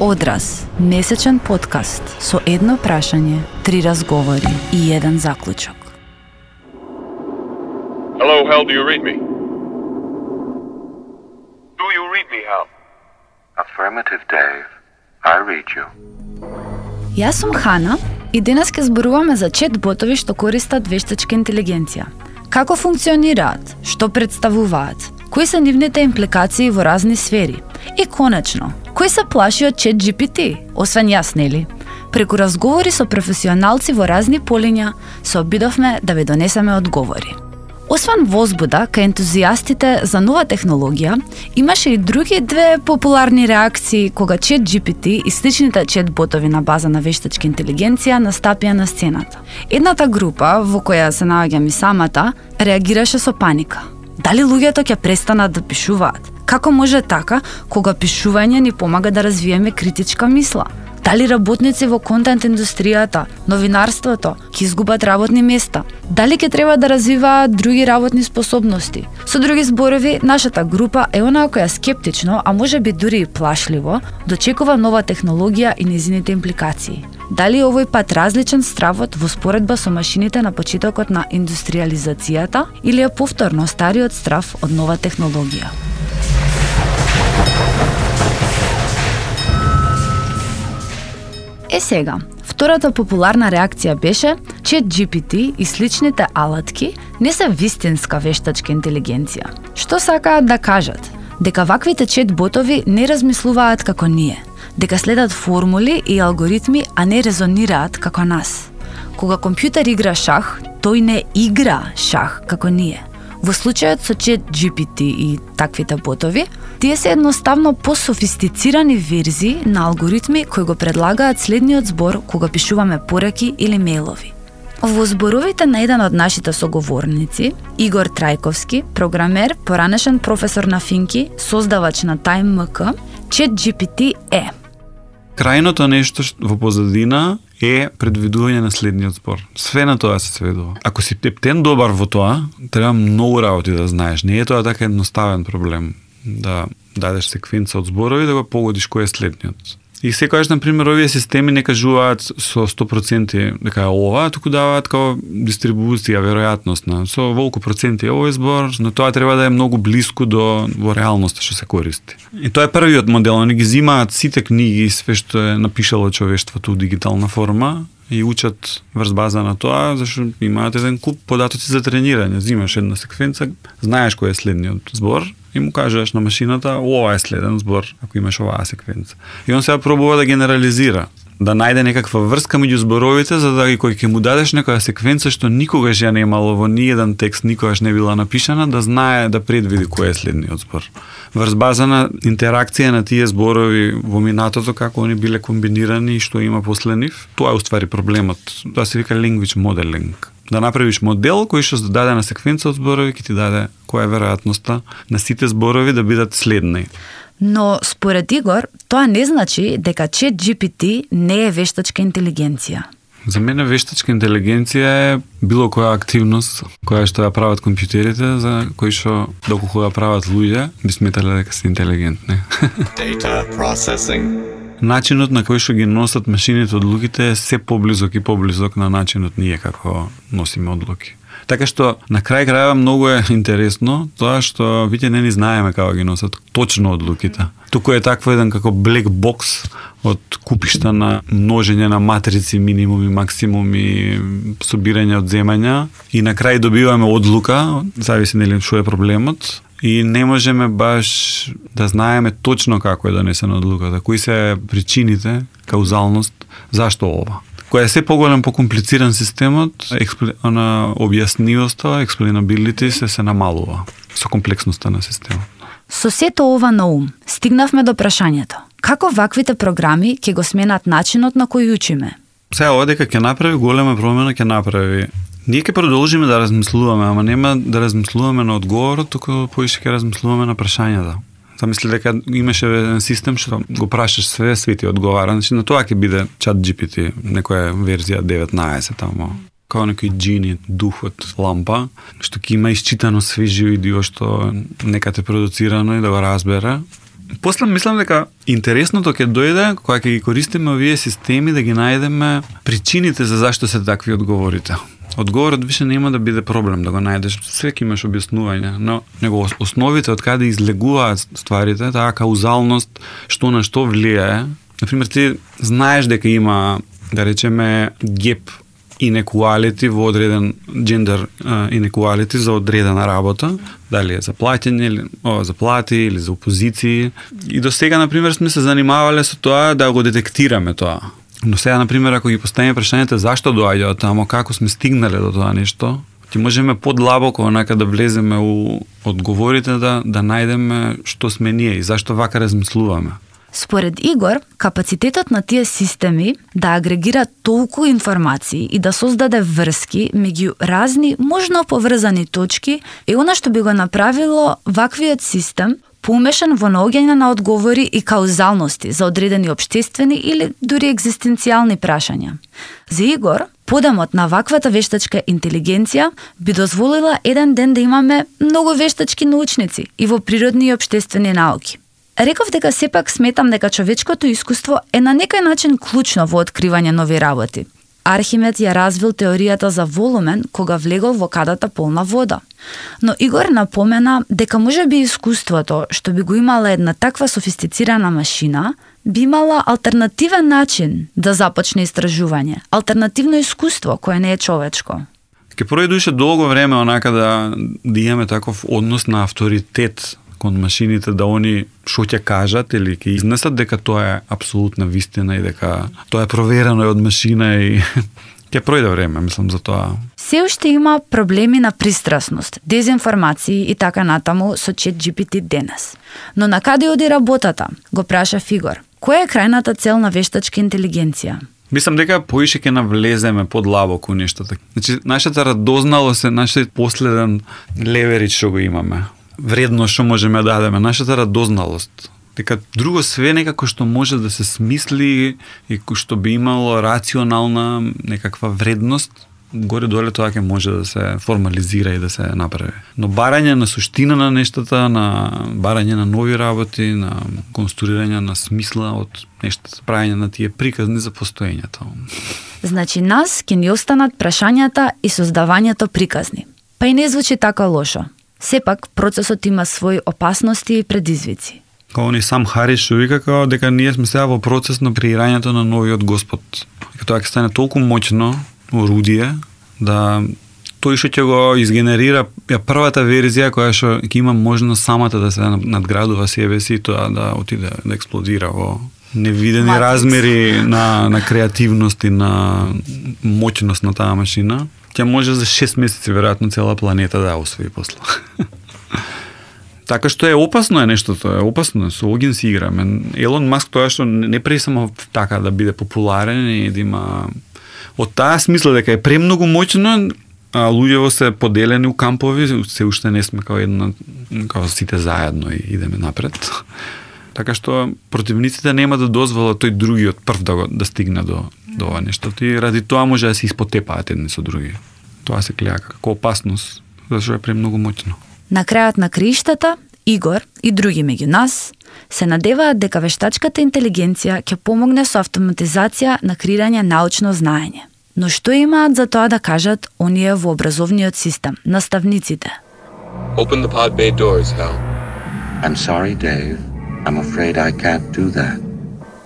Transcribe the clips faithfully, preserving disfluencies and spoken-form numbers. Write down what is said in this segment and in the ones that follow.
Одраз, месечен подкаст со едно прашање, три разговори и еден заклучок. Hello, Hal, do you read me? Do you read me, Hal? Affirmative, Dave. I read you. Јас сум Хана и денес ке зборуваме за чет-ботови што користат вештачка интелигенција. Како функционираат, што представуваат, кои се нивните импликации во разни сфери и конечно, кој се плаши од чет джи пи ти, освен јас, нели? Преку разговори со професионалци во разни полиња се обидовме да ви донесеме одговори. Освен возбуда кај ентузијастите за нова технологија, имаше и други две популарни реакции кога чет джи пи ти и сличните чет-ботови на база на вештачка интелигенција настапија на сцената. Едната група, во која се наоѓам и самата, реагираше со паника. Дали луѓето ќе престанат да пишуваат? Како може така, кога пишување ни помага да развиеме критичка мисла? Дали работници во контент индустријата, новинарството ќе изгубат работни места? Дали ќе треба да развиваат други работни способности? Со други зборови, нашата група е онаа која скептично, а може би дури и плашливо, дочекува нова технологија и нејзините импликации. Дали овој пат различен стравот во споредба со машините на почетокот на индустриализацијата или е повторно стариот страв од нова технологија? Е сега, втората популарна реакција беше чет джи пи ти и сличните алатки не се вистинска вештачка интелигенција. Што сакаат да кажат? Дека ваквите чет-ботови не размислуваат како ние, дека следат формули и алгоритми, а не резонираат како нас. Кога компјутер игра шах, тој не игра шах како ние. Во случајот со чет джи пи ти и таквите ботови, тие се едноставно пософистицирани верзии на алгоритми кои го предлагаат следниот збор кога пишуваме пораки или мејлови. Во зборовите на еден од нашите соговорници, Игор Трајковски, програмер, поранешен професор на Финки, создавач на TimeMK, чет джи пи ти е крајното нешто во позадина е предвидување на следниот збор. Све на тоа се сведува. Ако си птен добар во тоа, треба многу работи да знаеш. Не е тоа така едноставен проблем да дадеш секвенца од зборови да го погодиш кој е следниот. И секогаш, например, овие системи не кажуваат со сто проценти дека е ова, туку даваат као дистрибуција, веројатностна. Со волку проценти е овој збор, но тоа треба да е многу блиску до во реалноста што се користи. И тоа е првиот модел, они ги зимаат сите книги и све што е напишало човештвото у дигитална форма и учат врз база на тоа, зашто имаат еден куп податоци за тренирање. Зимаш една секвенца, знаеш кој е следниот збор, и му кажеш на машината, ова е следен збор, ако имаш оваа секвенца. И он сега пробува да генерализира, да најде некаква врска меѓу зборовите, за да кој ќе му дадеш некоја секвенца што никогаш ја не имало во ниеден текст, никогаш не била напишана, да знае да предвиди кој е следниот збор. Врз база на интеракција на тие зборови во минатото, како они биле комбинирани и што има после нив, тоа е уствари проблемот. Тоа се вика language modeling. Да направиш модел кој што даде на секвенца од зборови, ќе ти даде која е веројатноста на сите зборови да бидат следни. Но според Игор, тоа не значи дека чет джи пи ти не е вештачка интелигенција. За мене вештачка интелигенција е било која активност која што ја прават компјутерите, за кои што доколку ја прават луѓе, би сметале дека се интелигентни. Data processing. Начинот на кој што ги носат машините одлуките е се поблизок и поблизок на начинот ние како носиме одлуки. Така што на крај крајава многу е интересно тоа што веќе не ни знаеме како ги носат точно одлуките. Туку е такво еден како black box од купишта на множење на матрици, минимуми, максимуми, собирање од земања и на крај добиваме одлука, зависи нели што е проблемот. И не можеме баш да знаеме точно како е донесена одлуката, кои се причините, каузалност, зашто ова. Која е се поголем, покомплициран системот, експли... на објаснивоста, explainability се се намалува со комплексноста на системот. Со сето ова на ум, стигнавме до прашањето. Како ваквите програми ќе го сменат начинот на кој учиме? Сега ова дека ќе направи голема промена, ќе направи. Ние ќе продолжиме да размислуваме, ама нема да размислуваме на одговорот, туку поише ќе размислуваме на прашањата. Замисли дека имаше еден систем што го прашаш све, све ти одговара. Значи на тоа ќе биде чат джи пи ти, некоја верзија деветнаесет тамо. Као некој джини, дух од лампа, што ќе има исчитано све видео што нека те продуцирано и да го разбере. После мислам дека интересното ќе дојде кога ќе ги користиме овие системи да ги најдеме причините за зашто се такви одговорите. Одговорот више нема да биде проблем да го најдеш, свеки имаш објаснување, но него основите од каде излегуваат стварите, таа каузалност, што на што влијае. Например, ти знаеш дека има, да речеме, геп inequality во одреден gender inequality за одредена работа, дали е за плаќање или о, за плати или за опозиции. И до сега, например, сме се занимавале со тоа да го детектираме тоа. Но сега, например, ако ги поставиме прашањето зашто доаѓа од тамо, како сме стигнале до тоа нешто, ти можеме подлабоко онака да влеземе у одговорите да да најдеме што сме ние и зашто вака размислуваме. Според Игор, капацитетот на тие системи да агрегира толку информации и да создаде врски меѓу разни, можно поврзани точки е она што би го направило ваквиот систем поумешан во наоѓање на одговори и каузалности за одредени општествени или дури екзистенцијални прашања. За Игор, подемот на ваквата вештачка интелигенција би дозволила еден ден да имаме многу вештачки научници и во природни и општествени науки. Реков дека сепак сметам дека човечкото искуство е на некој начин клучно во откривање нови работи. Архимед ја развил теоријата за волумен кога влегол во кадата полна вода. Но Игор напомена дека можеби искуството, што би го имала една таква софистицирана машина, би имала алтернативен начин да започне истражување, алтернативно искуство кое не е човечко. Ке пројдуше долго време онака да, да имаме таков однос на авторитет кон машините, да они што ќе кажат или ќе изнесат дека тоа е апсолутна вистина и дека тоа е проверено од машина и ќе пројде време, мислам, за тоа. Се уште има проблеми на пристрасност, дезинформации и така натаму со ChatGPT денес. Но на каде оди работата? Го праша Игор. Која е крајната цел на вештачка интелигенција? Мислам дека поише ќе навлеземе подлабоко нештата. Значи, нашата радозналост е нашиот последен леверидж што го имаме. Вредно што можеме да дадеме, нашата радозналост. Дека друго све некако што може да се смисли и што би имало рационална некаква вредност, горе-доле тоа ќе може да се формализира и да се направи. Но барање на суштина на нештата, на барање на нови работи, на конструирање на смисла од нештата, правење на тие приказни за постоењето. Значи нас ќе ни останат прашањата и создавањето приказни. Па и не звучи така лошо. Сепак, процесот има своји опасности и предизвици. Као ни сам Харис што вика као дека ние сме сега во процес на креирањето на новиот Господ. Дека тоа ќе стане толку моќно орудие да тој што ќе го изгенерира ја првата верзија која што ќе има можност самата да се надградува себе си и тоа да отиде да експлодира во невидени Matrix. Размери на на креативност и на моќност на таа машина. Ќе може за шест месеци веројатно цела планета да освои после. Така што е опасно е нештото, е опасно, со огин си играме. Елон Маск тоа што не прави само така да биде популарен и да има од таа смисла дека е премногу моќно, а луѓето се поделени у кампови, се уште не сме као една, као сите заедно и идеме напред. Така што противниците нема да дозволат тој другиот прв да го да стигне до до ова нешто. И ради тоа може да се испотепаат едни со други. Тоа се гледа како опасност, зашто е премногу моќно. На крајот на криштата, Игор и други меѓу нас се надеваат дека вештачката интелигенција ќе помогне со автоматизација на креирање научно знаење. Но што имаат за тоа да кажат оние во образовниот систем, наставниците? Open the pod bay doors, Hal. I'm sorry, Dave. I'm afraid I can't do that.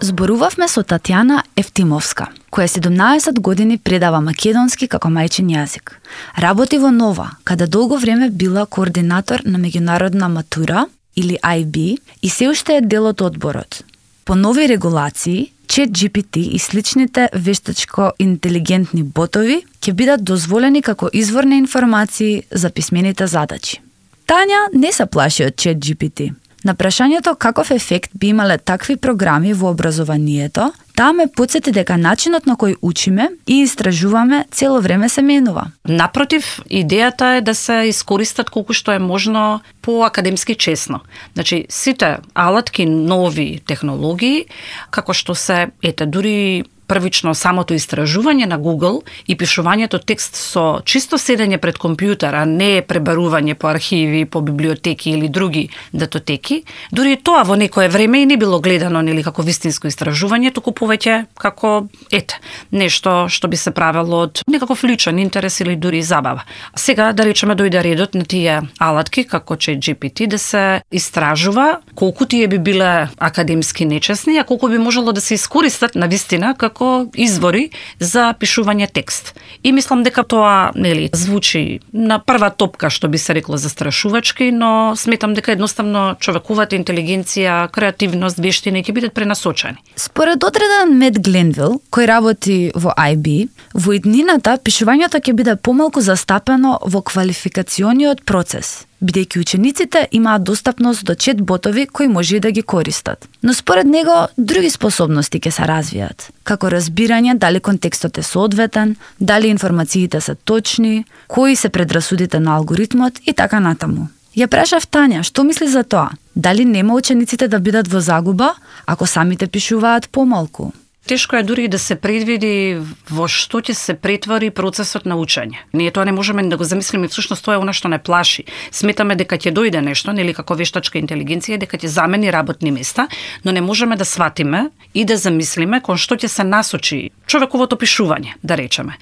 Зборувавме со Татјана Ефтимовска, која седумнаесет години предава македонски како мајчин јазик. Работи во Нова, каде долго време била координатор на меѓународна матура или ај би и се уште е дел од одборот. По нови регулации, ChatGPT и сличните вештачко интелигентни ботови ќе бидат дозволени како извор на информации за писмените задачи. Тања не се плаши од ChatGPT. На прашањето каков ефект би имале такви програми во образованието, таа ме потсети дека начинот на кој учиме и истражуваме цело време се менува. Напротив, идејата е да се искористат колку што е можно по-академски честно. Значи, сите алатки, нови технологии, како што се, ете, дури првично самото истражување на Google и пишувањето текст со чисто седење пред компјутер, а не пребарување по архиви, по библиотеки или други датотеки, дури и тоа во некое време и не било гледано нели како вистинско истражување, туку повеќе како ете, нешто што би се правело од некаков личен интерес или дури забава. Сега да речеме дојде редот на тие алатки како ChatGPT да се истражува колку тие би биле академски нечесни, а колку би можело да се искористат на вистина како извори за пишување текст. И мислам дека тоа нели звучи на прва топка што би се рекло застрашувачки, но сметам дека едноставно човековата интелигенција, креативност, вештини ќе бидат пренасочени. Според одреден Мет Гленвил, кој работи во Ай Би, во иднината пишувањето ќе биде помалку застапено во квалификациониот процес, бидејќи учениците имаат достапност до чет-ботови кои може и да ги користат. Но според него, други способности ќе се развијат, како разбирање дали контекстот е соодветен, дали информациите се точни, кои се предрасудите на алгоритмот и така натаму. Ја прашав Тања, што мисли за тоа? Дали нема учениците да бидат во загуба, ако самите пишуваат помалку? Тешко е дури да се предвиди во што ќе се претвори процесот на учење. Ние тоа не можеме да го замислиме, всушност тоа е она што не плаши. Сметаме дека ќе дојде нешто, нели како вештачка интелигенција, дека ќе замени работни места, но не можеме да сватиме и да замислиме кон што ќе се насочи човековото пишување, да речеме.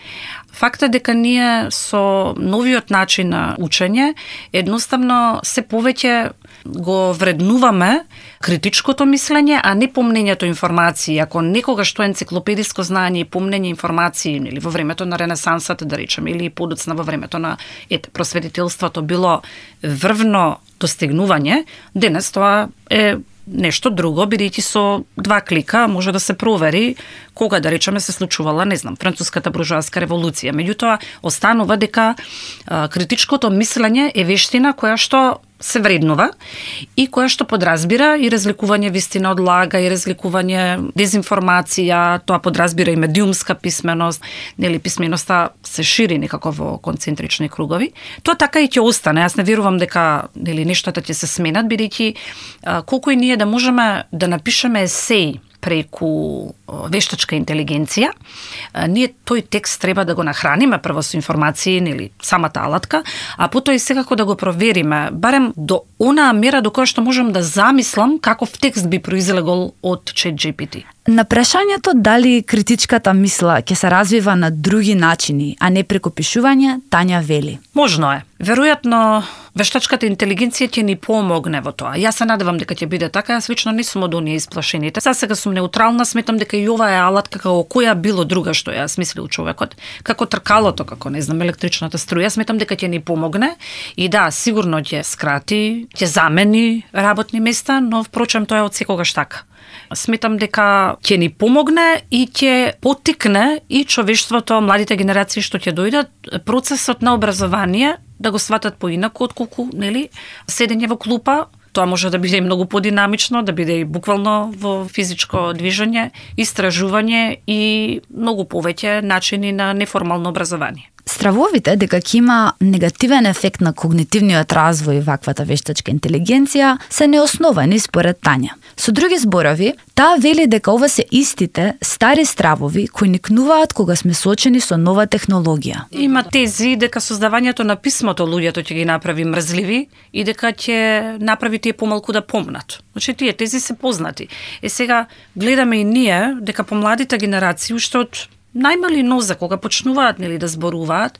Факт е дека ние со новиот начин на учење едноставно се повеќе го вреднуваме критичкото мислење, а не помнењето информации. Ако некогаш тоа енциклопедиско знаење и помнење информации, или во времето на Ренесансата, да речеме, или подоцна во времето на ете, просветителството било врвно достигнување, денес тоа е нешто друго, бидејќи со два клика може да се провери кога, да речеме, се случувала, не знам, француската буржоаска револуција. Меѓутоа, останува дека а, критичкото мислење е вештина која што се вреднува и која што подразбира и разликување вистина од лага, и разликување дезинформација, тоа подразбира и медиумска писменост, нели писменоста се шири некако во концентрични кругови. Тоа така и ќе остане. Јас не верувам дека нели нештата ќе се сменат, бидејќи колку и ние да можеме да напишеме есеи преку вештачка интелигенција, ние тој текст треба да го нахраниме прво со информации, нели самата алатка, а потоа и секако да го провериме, барем до онаа мера до која што можам да замислам каков текст би произлегол од ChatGPT. На прашањето дали критичката мисла ќе се развива на други начини, а не преку пишување, Тања вели. Можно е. Веројатно вештачката интелигенција ќе ни помогне во тоа. Јас се надевам дека ќе биде така, јас лично не сум од оние исплашените. Засега сум неутрална, сметам дека и ова е алатка како која било друга што ја смислил човекот, како тркалото, како не знам електричната струја, сметам дека ќе ни помогне и да, сигурно ќе скрати, ќе замени работни места, но впрочем тоа е од секогаш така. Сметам дека ќе ни помогне и ќе поттикне и човештвото, младите генерации што ќе дојдат, процесот на образование да го сватат поинаку отколку, нели, седење во клупа. Тоа може да биде и многу подинамично, да биде и буквално во физичко движење, истражување и многу повеќе начини на неформално образование. Стравовите дека ќе има негативен ефект на когнитивниот развој ваквата вештачка интелигенција се неосновани според Тања. Со други зборови, таа вели дека ова се истите стари стравови кои никнуваат кога сме соочени со нова технологија. Има тези дека создавањето на писмото луѓето ќе ги направи мрзливи и дека ќе направи тие помалку да помнат. Значи тие тези се познати. Е сега гледаме и ние дека помладите генерации уште од најмали нозе, кога почнуваат нели да зборуваат,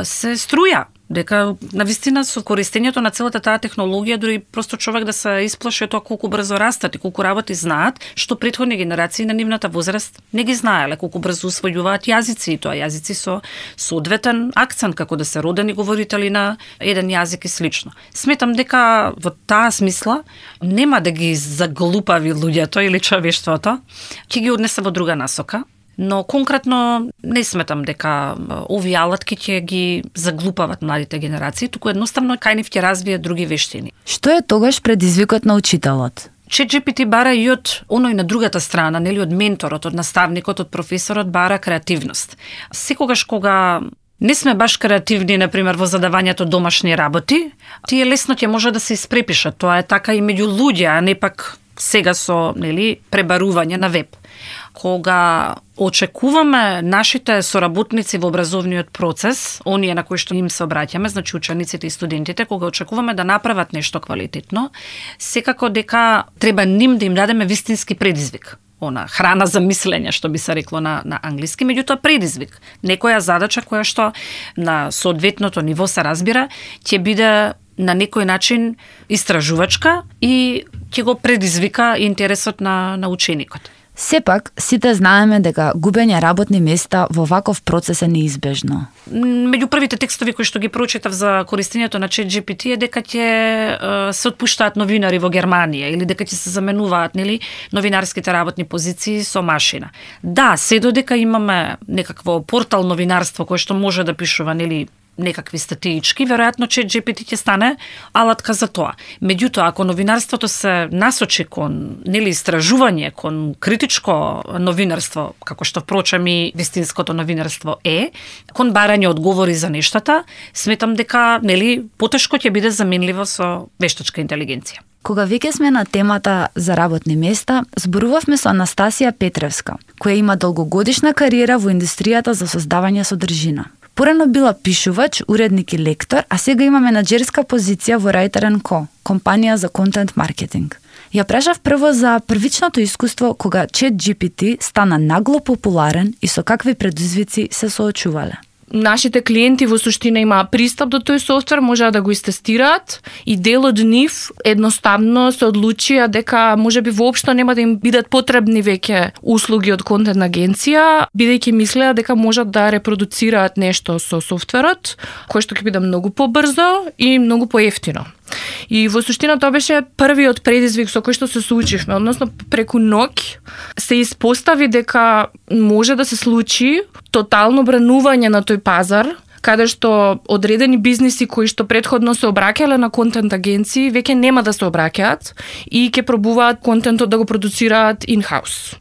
се струја дека навистина со користењето на целата таа технологија дури просто човек да се исплаши тоа колку брзо растат и колку работи знаат, што претходни генерации на нивната возраст не ги знаеле, колку брзо усвојуваат јазици и тоа јазици со соодветен акцент, како да се родени говорители на еден јазик и слично. Сметам дека во таа смисла нема да ги заглупави луѓето или човештвото, ќе ги однесе во друга насока. Но конкретно не сметам дека овие алатки ќе ги заглупават младите генерации, туку едноставно кај нив ќе развијат други вештини. Што е тогаш предизвикот на учителот? ChatGPT бара и од оној на другата страна, нели од менторот, од наставникот, од професорот бара креативност. Секогаш кога не сме баш креативни, например, во задавањето домашни работи, тие лесно ќе може да се испрепишат. Тоа е така и меѓу луѓе, а не пак сега со, нели, пребарување на веб. Кога очекуваме нашите соработници во образовниот процес, оние на кои што им се обраќаме, значи учениците и студентите, кога очекуваме да направат нешто квалитетно, секако дека треба ним да им дадеме вистински предизвик. Она храна за мислење, што би се рекло на, на англиски, меѓутоа предизвик. Некоја задача која што на соодветното ниво се разбира, ќе биде на некој начин истражувачка и ќе го предизвика интересот на, на ученикот. Сепак, сите знаеме дека губење работни места во ваков процес е неизбежно. Меѓу првите текстови кои што ги прочитав за користењето на ChatGPT е дека ќе се отпуштаат новинари во Германија или дека ќе се заменуваат, нели, новинарските работни позиции со машина. Да, се додека имаме некакво портал новинарство кој што може да пишува, нели, некакви статиички, веројатно ChatGPT ќе стане алатка за тоа. Меѓутоа, ако новинарството се насочи кон, нели, истражување, кон критичко новинарство, како што впрочем и вистинското новинарство е, кон барање одговори за нештата, сметам дека, нели, потешко ќе биде заменливо со вештачка интелигенција. Кога веќе сме на темата за работни места, зборувавме со Анастасија Петревска, која има долгогодишна кариера во индустријата за создавање содржина. Порано била пишувач, уредник и лектор, а сега има менаџерска позиција во Writer and Co, компанија за контент маркетинг. Ја прашав прво за првичното искуство кога ChatGPT стана нагло популарен и со какви предизвици се соочувале. Нашите клиенти во суштина имаа пристап до тој софтвер, можеа да го истестираат и дел од нив едноставно се одлучија дека можеби воопшто нема да им бидат потребни веќе услуги од контент агенција, бидејќи мислеа дека можат да репродуцираат нешто со софтверот, кој што ќе биде многу побрзо и многу поевтино. И во суштина тоа беше првиот предизвик со кој што се соочивме, односно преку ноќ се испостави дека може да се случи тотално бранување на тој пазар, каде што одредени бизниси кои што претходно се обраќале на контент агенции веќе нема да се обраќаат и ќе пробуваат контентот да го продуцираат in-house.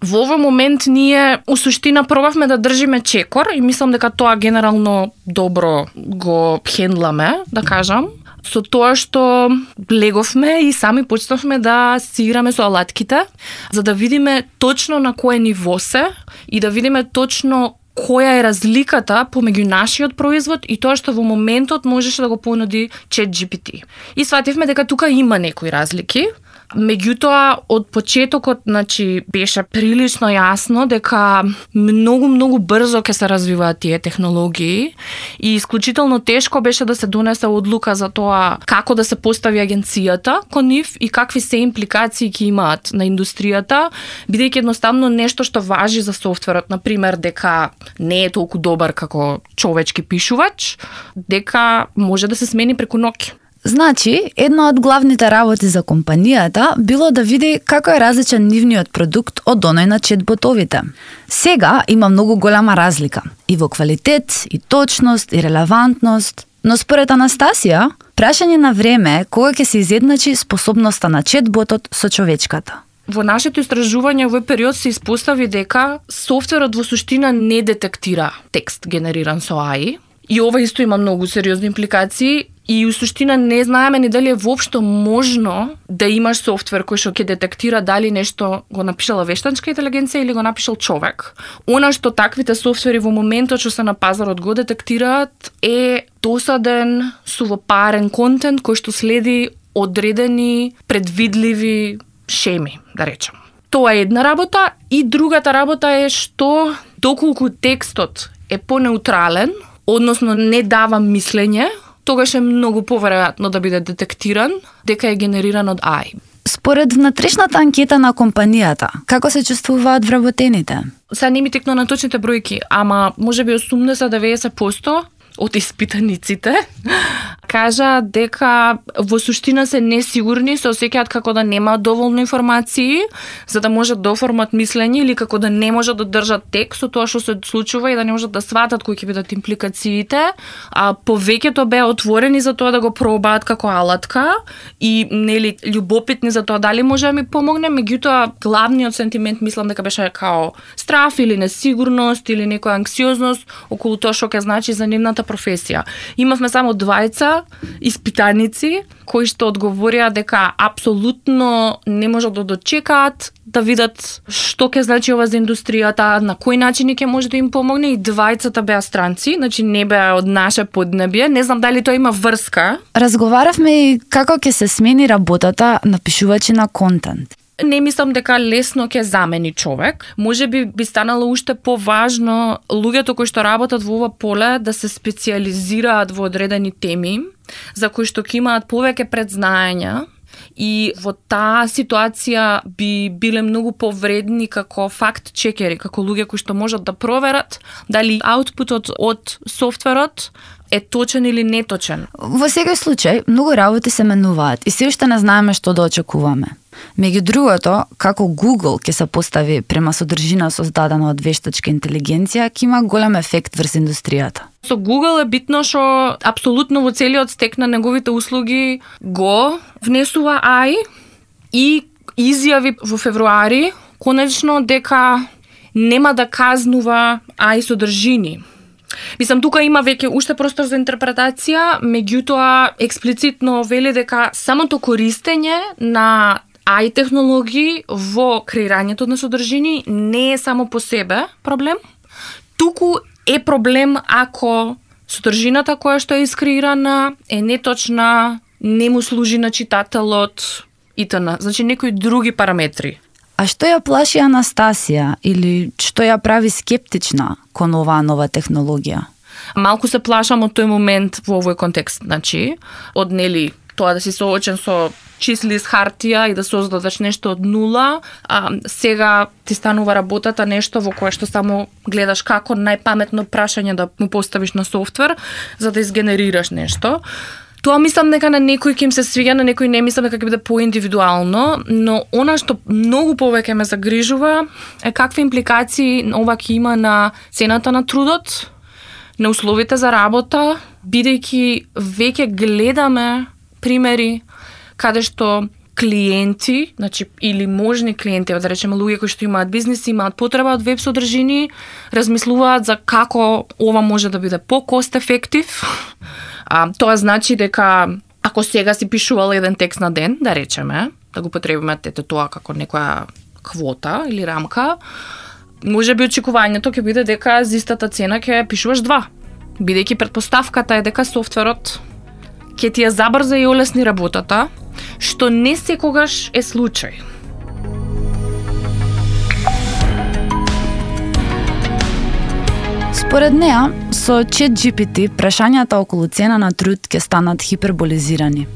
Во овој момент ние у суштина пробавме да држиме чекор и мислам дека тоа генерално добро го хендламе, да кажам, со тоа што леговме и сами почнавме да си играме со алатките, за да видиме точно на кое ниво се и да видиме точно која е разликата помеѓу нашиот производ и тоа што во моментот можеше да го понуди ChatGPT. И свативме дека тука има некои разлики. Меѓутоа, од почетокот, значи, беше прилично јасно дека многу, многу брзо ќе се развиваат тие технологии и исклучително тешко беше да се донесе одлука за тоа како да се постави агенцијата кон нив и какви се импликации ќе имаат на индустријата, бидејќи едноставно нешто што важи за софтверот, например, дека не е толку добар како човечки пишувач, дека може да се смени преку ноќ. Значи, една од главните работи за компанијата било да види како е различен нивниот продукт од оној на четботовите. Сега има многу голема разлика и во квалитет, и точност, и релевантност, но според Анастасија, прашање на време е кога ќе се изедначи способноста на четботот со човечката. Во нашето истражување овој период се испостави дека софтверот во суштина не детектира текст генериран со А И, и ова исто има многу сериозни импликации. И у суштина не знаеме ни дали е воопшто можно да имаш софтвер кој што ќе детектира дали нешто го напишала вештачка интелигенција или го напишал човек. Она што таквите софтвери во моментот што се на пазарот го детектираат е досаден, сувопарен контент кој што следи одредени предвидливи шеми, да речем. Тоа е една работа и другата работа е што доколку текстот е понеутрален, односно не дава мислење, тогаш е многу поверојатно да биде детектиран дека е генериран од А И. Според внатрешната анкета на компанијата, како се чувствуваат вработените? Сега не ми текно на точните бројки, ама можеби осумдесет до деветдесет проценти од испитаниците кажа дека во суштина се несигурни, се осеќаат како да немаат доволно информации за да можат да оформат мислење или како да не можат да држат текст со тоа што се случува и да не можат да сватат кои ќе бидат импликациите, а повеќето беа отворени за тоа да го пробаат како алатка и нели љубопитни за тоа дали може да ми помогне, меѓутоа главниот сентимент мислам дека беше као страф или несигурност или некоја анксиозност околу тоа што ќе значи за нивната професија. Имавме само двајца испитаници кои што одговорија дека апсолутно не можат да дочекаат да видат што ќе значи ова за индустријата, на кој начин ќе може да им помогне, и двајцата беа странци, значи не беа од наше поднебие. Не знам дали тоа има врска. Разговаравме и како ќе се смени работата на пишувачи на контент. Не мислам дека лесно ќе замени човек. Може би би станало уште поважно луѓето кои што работат во ова поле да се специализираат во одредени теми, за кои што ќе имаат повеќе предзнаења, и во таа ситуација би биле многу повредни како факт чекери, како луѓе кои што можат да проверат дали аутпутот од софтверот е точен или неточен. Во секој случај, многу работи се менуваат и се уште не знаеме што да очекуваме. Меѓу другото, како Google ќе се постави према содржина создадена од вештачка интелигенција, ќе има голем ефект врз индустријата. Со Google е битно што апсолутно во целиот стек на неговите услуги го внесува А И и изјави во февруари конечно дека нема да казнува А И содржини. Мислам, тука има веќе уште простор за интерпретација, меѓутоа експлицитно вели дека самото користење на А И технологии во креирањето на содржини не е само по себе проблем, туку е проблем ако содржината која што е искреирана е неточна, не му служи на читателот итн. Значи некои други параметри. А што ја плаши Анастасија или што ја прави скептична кон оваа нова технологија? Малку се плашам од тој момент во овој контекст, значи, од нели тоа да си соочен со числи из хартија и да создадеш нешто од нула, а сега ти станува работата нешто во кое што само гледаш како најпаметно прашање да му поставиш на софтвер за да изгенерираш нешто. Тоа мислам дека на некој ќе им се свиѓа, на некој не мислам дека ќе биде поиндивидуално, но она што многу повеќе ме загрижува е какви импликации ова ќе има на цената на трудот, на условите за работа, бидејќи веќе гледаме примери каде што клиенти, значи или можни клиенти, да речеме луѓе кои што имаат бизнис, имаат потреба од веб содржини, размислуваат за како ова може да биде по-кост ефектив. А, тоа значи дека ако сега си пишувал еден текст на ден, да речеме, да го потребиме ете тоа како некоја квота или рамка, може би очекувањето ќе биде дека за истата цена ќе пишуваш два. Бидејќи претпоставката е дека софтверот ќе ти ја забрза и олесни работата, што не секогаш е случај. Според неа, со ChatGPT прашањата околу цена на труд ќе станат хиперболизирани.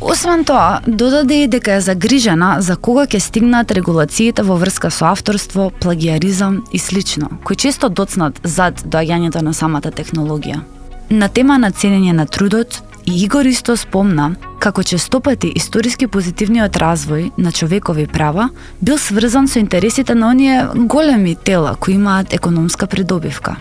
Освен тоа, додаде и дека е загрижена за кога ќе стигнат регулациите во врска со авторство, плагиаризам и слично, кои често доцнат зад доаѓањето на самата технологија. На тема на ценење на трудот, и Игор исто спомна како честопати историски позитивниот развој на човекови права бил сврзан со интересите на оние големи тела кои имаат економска придобивка.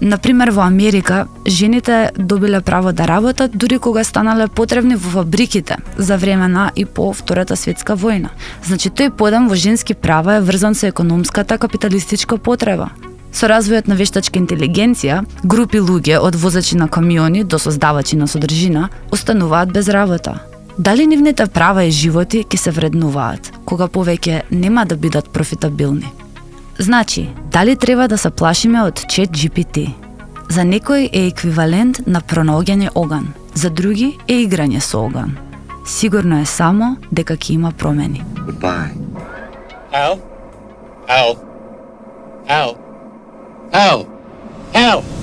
Например, во Америка, жените добиле право да работат дури кога станале потребни во фабриките за време на и по Втората светска војна. Значи, тој подем во женски права е врзан со економската капиталистичка потреба. Со развојот на вештачка интелигенција, групи луѓе од возачи на камиони до создавачи на содржина остануваат без работа. Дали нивните права и животи ќе се вреднуваат, кога повеќе нема да бидат профитабилни? Значи, дали треба да се плашиме од ChatGPT? За некој е еквивалент на пронаоѓање оган, за други е играње со оган. Сигурно е само дека ќе има промени. Goodbye. Al? Al? Al? Al? Al?